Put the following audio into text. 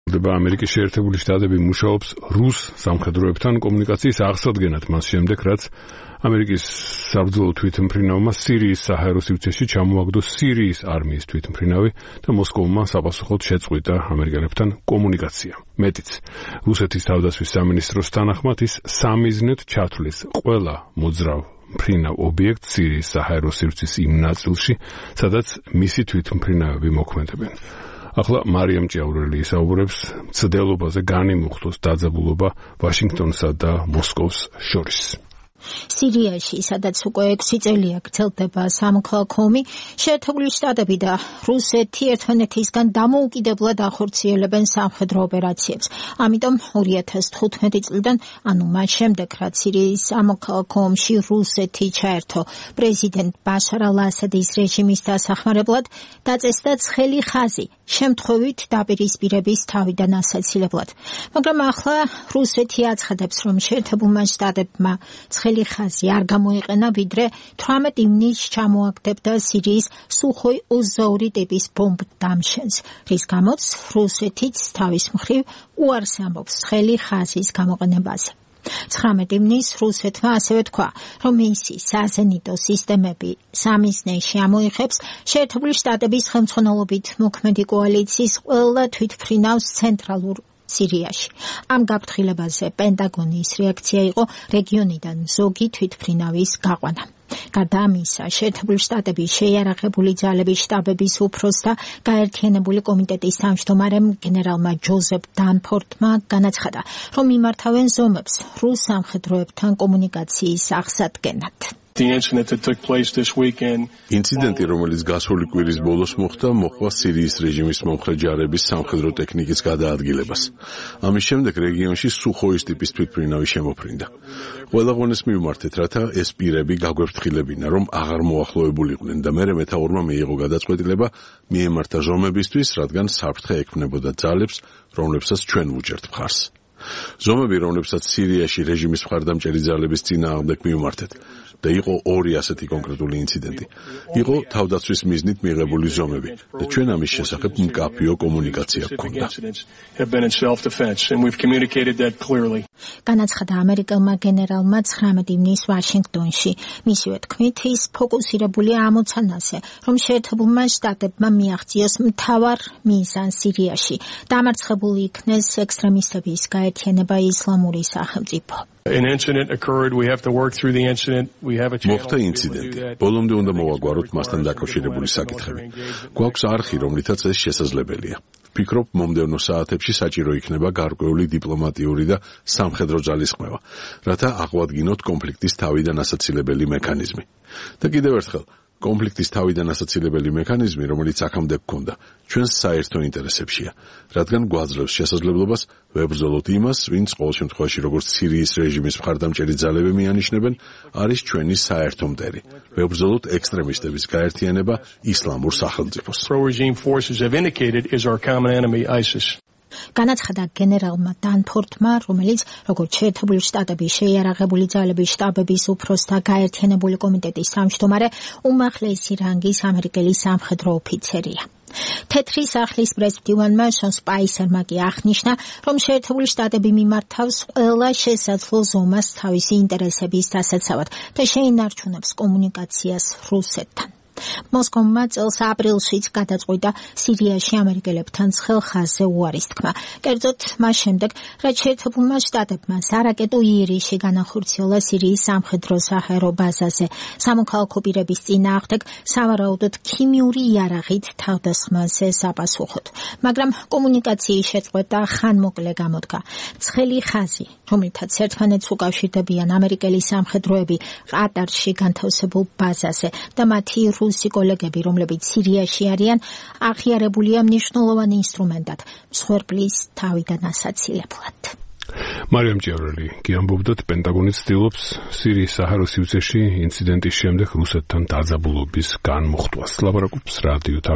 ამერიკის შეერთებული შტატები მუშაობს რუს სამხედროებთან კომუნიკაციის აღსადგენად მას შემდეგ, რაც ამერიკის საბრძოლო თვითმფრინავმა სირიის საჰაერო სივრცეში ჩამოაგდო სირიის არმიის თვითმფრინავი და მოსკოვმა საპასუხოდ შეწყვიტა ამერიკელებთან კომუნიკაცია. მეტიც, რუსეთის თავდაცვის სამინისტროს თანახმად ის სამიზნედ ჩათვლის ყველა მოძრავ მფრინავ ობიექტს სირიის საჰაერო სივრცის იმ ნაწილში, სადაც მისი თვითმფრინავები მოქმედებენ. ახლა მარიამ ჭიაურელი ისაუბრებს მცდელობაზე განიმუხტოს დაძაბულობა ვაშინგტონსა და მოსკოვს შორის. სირიაში, სადაც უკვე 6 წელია გრძელდება სამოქალაქო ომი, შეერთებული შტატები და რუსეთი ერთმანეთისგან დამოუკიდებლად ახორციელებენ სამხედრო ოპერაციებს. ამიტომ 2015 წლიდან, ანუ მას შემდეგ, რაც სირიის სამოქალაქო ომში რუსეთი ჩაერთო პრეზიდენტ ბაშარ ალ-ასადის რეჟიმის დასახმარებლად, დაწესდა ცხელი ხაზი შემთხვევით დაპირისპირების თავიდან ასაცილებლად. მაგრამ ახლა რუსეთი აცხადებს, რომ შეერთებულმა შტატებმა ცხელი ხაზი არ გამოიყენა, ვიდრე 18 ივნისს ჩამოაგდებდა სირიის სუხოი 22 ტიპის ბომბ დამშენს, რის გამოც რუსეთიც თავის მხრივ უარს ამბობს ცხელი ხაზის გამოყენებაზე. 19 ივნისს რუსეთმა ასევე თქვა, რომ მისი საზენიტო სისტემები სამიზნეში ამოიღებს შეერთებული შტატების ხელმძღვანელობით მოქმედი კოალიციის ყველა თვითმფრინავს ცენტრალურ სირიაში. ამ გაფრთხილებაზე პენტაგონის რეაქცია იყო რეგიონიდან ზოგი თვითმფრინავის გაყვანა. გარდა ამისა, შეერთებული შტატების შეიარაღებული ძალების შტაბების უფროს და გაერთიანებული კომიტეტის თავმჯდომარემ გენერალმა ჯოზეფ დანფორდმა განაცხადა, რომ იმართავენ ზომებს რუს სამხედროებთან კომუნიკაციის აღსადგენად. ინციდენტი, რომელიც გასული კვირის ბოლოს მოხდა სირიის რეჟიმის მომხრე ჯარების სამხედრო ტექნიკის გადაადგილებას. ამის შემდეგ რეგიონში სუხოის ტიპის თვითმფრინავი შემოფრინდა. ყველა ღონეს მივმართეთ, რათა ეს პირები გაგვეფრთხილებინა, რომ აღარ მოახლოებულიყვნენ და მერე მეთაურმა მიიღო გადაწყვეტილება მიემართა ზომებისთვის, რადგან საფრთხე ექმნებოდა ძალებს, რომლებსაც ჩვენ ვუჭერთ მხარს. ზომები, რომლებსაც სირიაში რეჟიმის მხარდამჭერი ძალების წინააღმდეგ მივმართეთ და იყო 2 ასეთი კონკრეტული ინციდენტი. იყო თავდაცვის მიზნით მიღებული ზომები და ჩვენ ამის შესახებ მკაფიო კომუნიკაცია გქონდა. განაცხადა ამერიკელმა გენერალმა 19 ივნისს ვაშინგტონში. მისივე თქმით, ის ფოკუსირებულია ამოცანაზე, რომ შეერთებულმა შტატებმა მიაღწიოს მთავარ მიზანს სირიაში, დამარცხებული იქნეს ექსტრემისტების გაერთიანება ისლამური სახელმწიფო. მოხდა ინციდენტი. ბოლომდე უნდა მოვაგვაროთ მასთან დაკავშირებული საკითხები. გვაქვს არხი, რომლითაც ეს შესაძლებელია. ვფიქრობ, მომდევნო საათებში საჭირო იქნება გარკვეული დიპლომატიური და სამხედრო ძალისხმევა, რათა აღვადგინოთ კონფლიქტის თავიდან ასაცილებელი მექანიზმი. და კიდევ ერთხელ, კონფლიქტის თავიდან ასაცილებელი მექანიზმი, რომელიც აქამდე გქონდა, ჩვენს საერთო ინტერესებშია, რადგან გვაძლევს შესაძლებლობას ვებრძოლოთ იმას, ვინც ყოველ შემთხვევაში როგორც სირიის რეჟიმის მხარდამჭერი ძალები მიანიშნებენ, არის ჩვენი საერთო მტერი. ვებრძოლოთ ექსტრემისტების გაერთიანება ისლამურ სახელმწიფოს. განაცხადა გენერალმა დანფორდმა, რომელიც როგორც შეერთებული შტატების შეიარაღებული ძალების შტაბების უფროსთა გაერთიანებული კომიტეტის თავმჯდომარე უმაღლესი რანგის ამერიკელი სამხედრო ოფიცერია. თეთრი სახლის პრეზიდენტმა შონ სპაისერმა კი აღნიშნა, რომ შეერთებული შტატები მიმართავს ყველა შესაძლო ზომას თავისი ინტერესების დასაცავად და შეინარჩუნებს კომუნიკაციას რუსეთთან. მოსკოვმა წელს აპრილშიც გადაწყვიტა სირიაში ამერიკელებთან ცხელ ხაზზე უარის თქმა. კერძოდ მას შემდეგ, რაც შეერთებულმა შტატებმა სარაკეტო იერიში განახორციელა სირიის სამხედრო საჰაერო ბაზაზე სამოქალაქო პირების წინააღმდეგ სავარაუდოდ ქიმიური იარაღით თავდასხმაზე საპასუხოდ. მაგრამ კომუნიკაციის შეწყვეტა ხანმოკლე გამოდგა. ცხელი ხაზი, რომლითაც ერთმანეთს უკავშირდებიან ამერიკელი სამხედროები ყატარში განთავსებულ ბაზაზე და მათი რუსი კოლეგები, რომლებიც სირიაში არიან, აღიარებულია მნიშვნელოვანი ინსტრუმენტად მსხვერპლის თავიდან ასაცილებლად. მარიამ ჭიაურელი კი ამბობდათ, პენტაგონი ცდილობს სირიის საჰაერო სივრცეში ინციდენტის შემდეგ რუსეთთან დაძაბულობის განმუხტვას. ლაპარაკობს რადიო